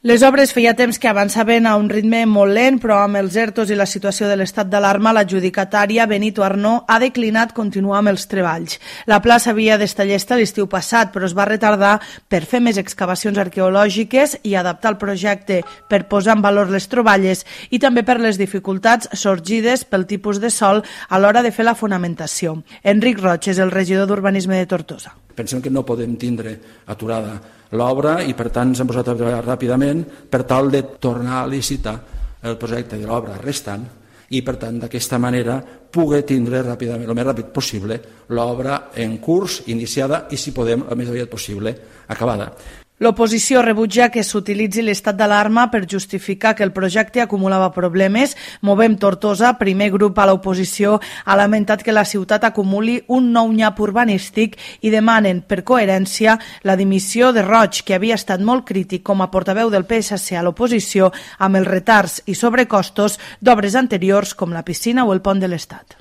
Les obres feia temps que avançaven a un ritme molt lent, però amb els ERTOs i la situació de l'estat d'alarma, l'adjudicatària Benito Arnó ha declinat continuar amb els treballs. La plaça havia d'estar llesta l'estiu passat, però es va retardar per fer més excavacions arqueològiques i adaptar el projecte per posar en valor les troballes i també per les dificultats sorgides pel tipus de sòl a l'hora de fer la fonamentació. Enric Roig és el regidor d'Urbanisme de Tortosa. Pensem que no podem tindre aturada l'obra i per tant s'han posat a treballar ràpidament per tal de tornar a licitar el projecte de l'obra restant i per tant d'aquesta manera poder tindre ràpidament, el més ràpid possible, l'obra en curs, iniciada i si podem el més aviat possible acabada. L'oposició rebutja que s'utilitzi l'estat d'alarma per justificar que el projecte acumulava problemes. Movem Tortosa, primer grup a l'oposició, ha lamentat que la ciutat acumuli un nou nyap urbanístic i demanen, per coherència, la dimissió de Roig, que havia estat molt crític com a portaveu del PSC a l'oposició amb els retards i sobrecostos d'obres anteriors com la piscina o el pont de l'Estat.